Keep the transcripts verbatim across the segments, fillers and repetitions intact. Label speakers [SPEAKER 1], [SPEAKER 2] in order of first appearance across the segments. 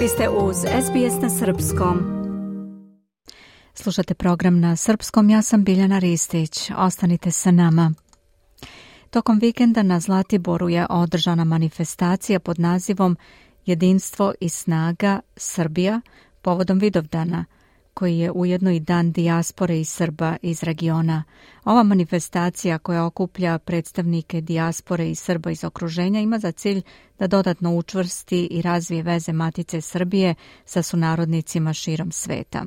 [SPEAKER 1] Vi ste uz S B S na srpskom. Slušate program na srpskom, ja sam Biljana Ristić. Ostanite sa nama. Tokom vikenda na Zlatiboru je održana manifestacija pod nazivom Jedinstvo i snaga Srbija povodom Vidovdana, koji je ujedno i dan dijaspore i Srba iz regiona. Ova manifestacija koja okuplja predstavnike dijaspore i Srba iz okruženja ima za cilj da dodatno učvrsti i razvije veze Matice Srbije sa sunarodnicima širom sveta.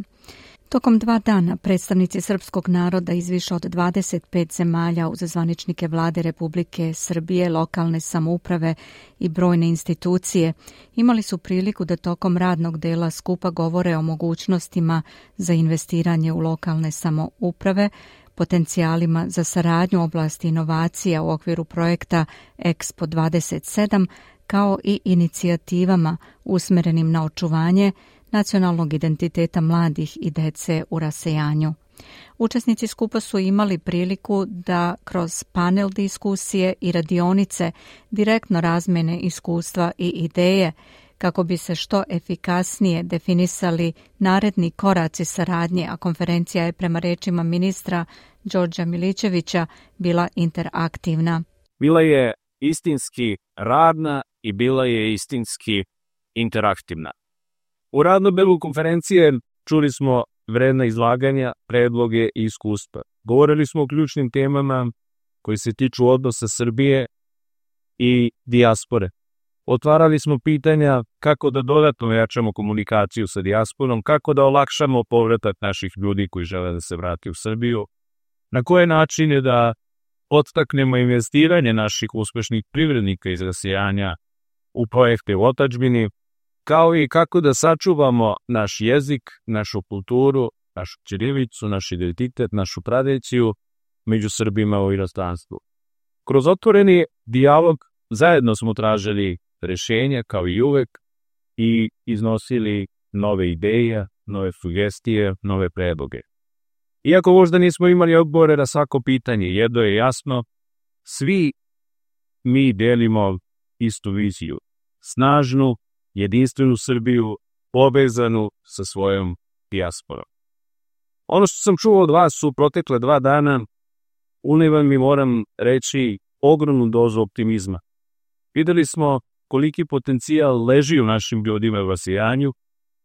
[SPEAKER 1] Tokom dva dana predstavnici srpskog naroda iz više od dvadeset pet zemalja uz zvaničnike vlade Republike Srbije, lokalne samouprave i brojne institucije imali su priliku da tokom radnog dela skupa govore o mogućnostima za investiranje u lokalne samouprave, potencijalima za saradnju u oblasti inovacija u okviru projekta Expo dvadeset sedam, kao i inicijativama usmerenim na očuvanje nacionalnog identiteta mladih i dece u rasejanju. Učesnici skupa su imali priliku da kroz panel diskusije i radionice direktno razmene iskustva i ideje kako bi se što efikasnije definisali naredni koraci saradnje, a konferencija je prema rečima ministra Đorđa Milićevića bila interaktivna.
[SPEAKER 2] Bila je istinski radna i bila je istinski interaktivna. U radnom delu konferencije čuli smo vredna izlaganja, predloge i iskustva. Govorili smo o ključnim temama koji se tiču odnosa Srbije i dijaspore. Otvarali smo pitanja kako da dodatno ojačamo komunikaciju sa dijasporom, kako da olakšamo povratak naših ljudi koji žele da se vrati u Srbiju, na koje načine da podstaknemo investiranje naših uspešnih privrednika iz rasejanja u projekte u otadžbini, kao i kako da sačuvamo naš jezik, našu kulturu, našu ćirilicu, naš identitet, našu tradiciju među Srbima u inostranstvu. Kroz otvoreni dijalog zajedno smo tražili rešenja kao i uvek i iznosili nove ideje, nove sugestije, nove predloge. Iako možda nismo imali odgovore na svako pitanje, jedno je jasno, svi mi delimo istu viziju, snažnu, jedinstvenu Srbiju, povezanu sa svojom dijasporom. Ono što sam čuo od vas u protekle dva dana, uliva mi, moram reći, ogromnu dozu optimizma. Videli smo koliki potencijal leži u našim ljudima u rasejanju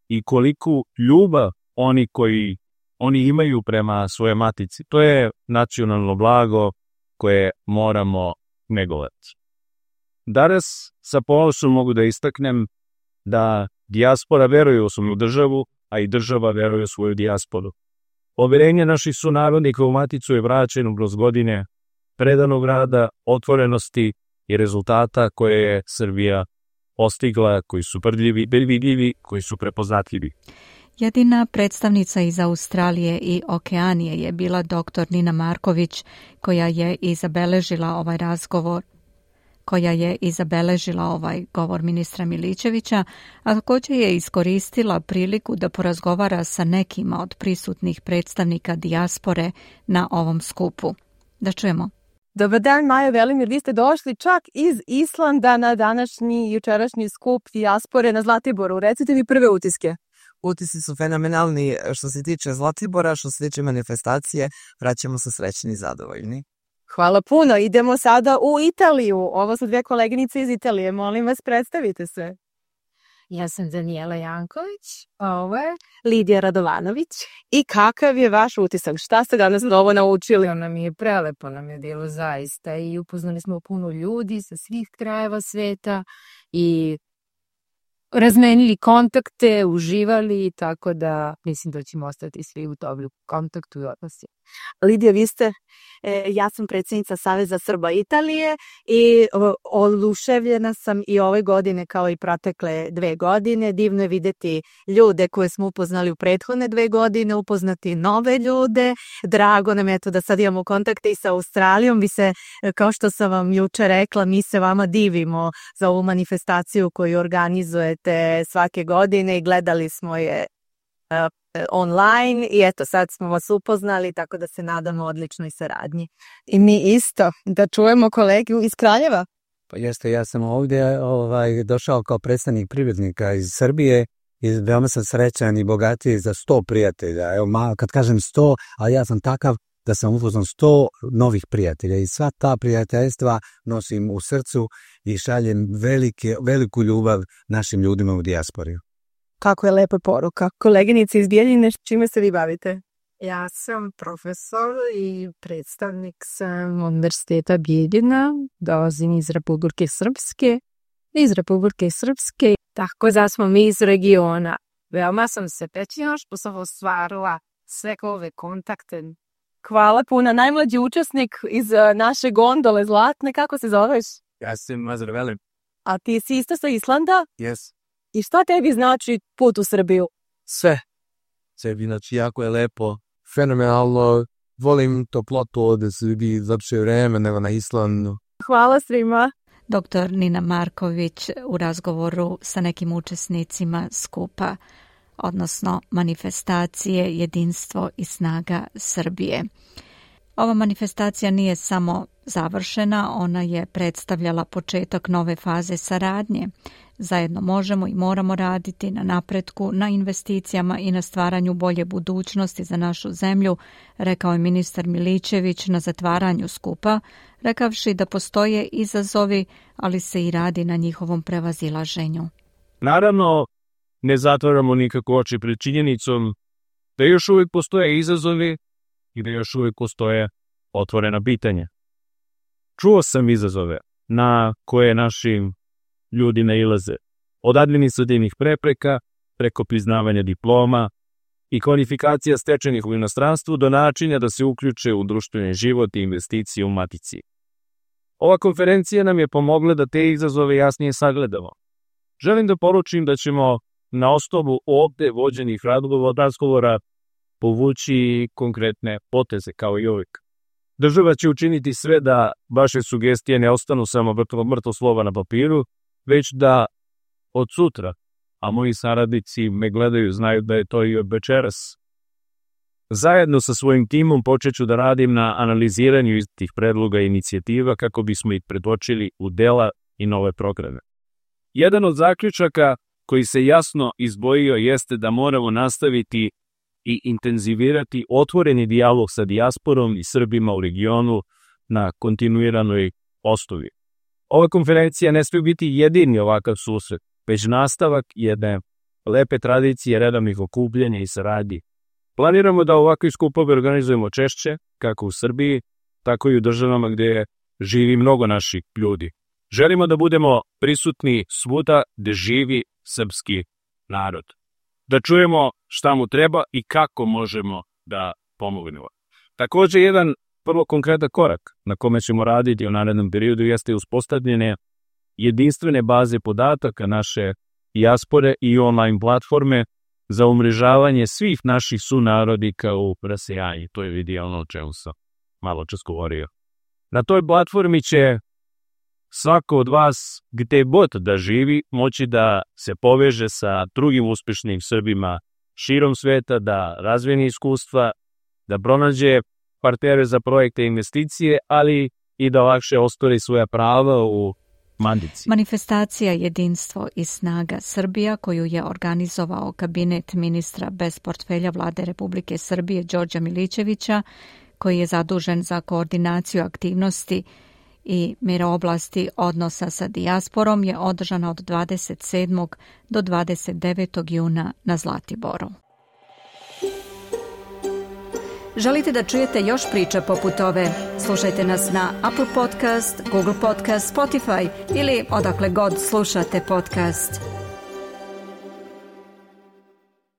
[SPEAKER 2] i koliku ljubav oni koji oni imaju prema svoje matici. To je nacionalno blago koje moramo negovati. Danas sa ponosom mogu da istaknem da dijaspora veruje u svoju državu, a i država veruje u svoju dijasporu. Poverenje naših sunarodnika u maticu je vraćeno kroz godine predanog rada, otvorenosti i rezultata koje je Srbija postigla, koji su prljivi, vidljivi, koji su prepoznatljivi.
[SPEAKER 1] Jedina predstavnica iz Australije i Okeanije je bila doktor Nina Marković, koja je i zabeležila ovaj razgovor koja je i zabeležila ovaj govor ministra Milićevića, a također je iskoristila priliku da porazgovara sa nekima od prisutnih predstavnika dijaspore na ovom skupu. Da čujemo.
[SPEAKER 3] Dobar dan, Maja Velimir, vi ste došli čak iz Islanda na današnji i jučerašnji skup dijaspore na Zlatiboru. Recite mi prve utiske.
[SPEAKER 4] Utisci su fenomenalni što se tiče Zlatibora, što se tiče manifestacije, vraćamo se srećni i zadovoljni.
[SPEAKER 3] Hvala puno. Idemo sada u Italiju. Ovo su dvije koleginice iz Italije. Molim vas, predstavite se.
[SPEAKER 5] Ja sam Danijela Janković.
[SPEAKER 3] Ovo je Lidija Radovanović. I kakav je vaš utisak? Šta ste danas novo naučili?
[SPEAKER 5] To nam je prelepo, nam je bilo zaista i upoznali smo puno ljudi sa svih krajeva sveta i razmenili kontakte, uživali, tako da mislim da ćemo ostati svi u dobru kontaktu i odnosi.
[SPEAKER 3] Lidija, vi ste, e, ja sam predsjednica Saveza Srba Italije i o, oduševljena sam i ove godine kao i protekle dve godine. Divno je vidjeti ljude koje smo upoznali u prethodne dve godine, upoznati nove ljude. Drago nam je to da sad imamo kontakte i sa Australijom. Vi se, kao što sam vam juče rekla, mi se vama divimo za ovu manifestaciju koju organizujete svake godine i gledali smo je uh, online i eto sad smo vas upoznali, tako da se nadamo odličnoj saradnji. I mi isto, da čujemo kolegu iz Kraljeva.
[SPEAKER 6] Pa jeste, ja sam ovdje ovaj, došao kao predstavnik privrednika iz Srbije i veoma sam srećan i bogatiji za sto prijatelja. Evo, ma, kad kažem sto, ali ja sam takav da sam upoznao sto novih prijatelja i sva ta prijateljstva nosim u srcu i šaljem velike, veliku ljubav našim ljudima u dijaspori.
[SPEAKER 7] Kako je lepa poruka. Koleginice iz Bijeljine, čime se vi bavite?
[SPEAKER 5] Ja sam profesor i predstavnik sam Univerziteta Bijeljina, dolazim iz Republike Srpske. Iz Republike Srpske, tako da smo mi iz regiona. Veoma sam se pećila što sam ostvarila sve ove kontakte.
[SPEAKER 7] Hvala puno. Najmlađi učesnik iz naše gondole Zlatne, kako se zoveš?
[SPEAKER 2] Ja sam Mazar Velim.
[SPEAKER 7] A ti si isto sa Islanda?
[SPEAKER 2] Yes.
[SPEAKER 7] I šta tebi znači put u Srbiju?
[SPEAKER 8] Sve. Sebi, znači, jako je lepo, fenomenalno, volim toplotu ovde Srbiji, zapše vreme nego na Islandu.
[SPEAKER 7] Hvala svima.
[SPEAKER 1] Doktor Nina Marković u razgovoru sa nekim učesnicima skupa, odnosno manifestacije Jedinstvo i snaga Srbije. Ova manifestacija nije samo završena, ona je predstavljala početak nove faze saradnje. Zajedno možemo i moramo raditi na napretku, na investicijama i na stvaranju bolje budućnosti za našu zemlju, rekao je ministar Milićević na zatvaranju skupa, rekavši da postoje izazovi, ali se i radi na njihovom prevazilaženju.
[SPEAKER 2] Naravno, ne zatvaramo nikako oči pred činjenicom da još uvijek postoje izazovi i da još uvijek postoje otvorena pitanja. Čuo sam izazove na koje naši ljudi nailaze, od administrativnih prepreka preko priznavanja diploma i kvalifikacija stečenih u inostranstvu do načina da se uključe u društveni život i investicije u matici. Ova konferencija nam je pomogla da te izazove jasnije sagledamo. Želim da poručim da ćemo na osnovu ovde vođenih razgovora povući konkretne poteze kao i uvijek. Država će učiniti sve da vaše sugestije ne ostanu samo mrtvo slova na papiru, već da od sutra, a moji saradnici me gledaju, znaju da je to i od večeras. Zajedno sa svojim timom počet ću da radim na analiziranju istih predloga i inicijativa kako bismo ih pretočili u dela i nove programe. Jedan od zaključaka koji se jasno izdvojio jeste da moramo nastaviti i intenzivirati otvoreni dijalog sa dijasporom i Srbima u regionu na kontinuiranoj osnovi. Ova konferencija ne smije biti jedini ovakav susret, već nastavak jedne lepe tradicije redovnih okupljanja i saradnji. Planiramo da ovakvi skupovi organizujemo češće, kako u Srbiji, tako i u državama gdje živi mnogo naših ljudi. Želimo da budemo prisutni svuda gdje živi srpski narod. Da čujemo šta mu treba i kako možemo da pomognemo. Također, jedan vrlo konkretan korak na kome ćemo raditi u narednom periodu jeste uspostavljanje jedinstvene baze podataka naše dijaspore i online platforme za umrežavanje svih naših sunarodnika u rasejanju. To je idealno o čemu sam malo čas govorio. Na toj platformi će svako od vas, gde god da živi, moći da se poveže sa drugim uspešnim Srbima širom sveta, da razvijeni iskustva, da pronađe partnere za projekte i investicije, ali i da lakše ostvari svoja prava u mandici.
[SPEAKER 1] Manifestacija Jedinstvo i snaga Srbija, koju je organizovao kabinet ministra bez portfelja Vlade Republike Srbije Đorđa Milićevića, koji je zadužen za koordinaciju aktivnosti i oblasti odnosa sa dijasporom, je održana od dvadeset sedmog do dvadeset devetog juna na Zlatiboru. Želite da čujete još priča poput ove? Slušajte nas na Apple Podcast, Google Podcast, Spotify ili odakle god slušate podcast.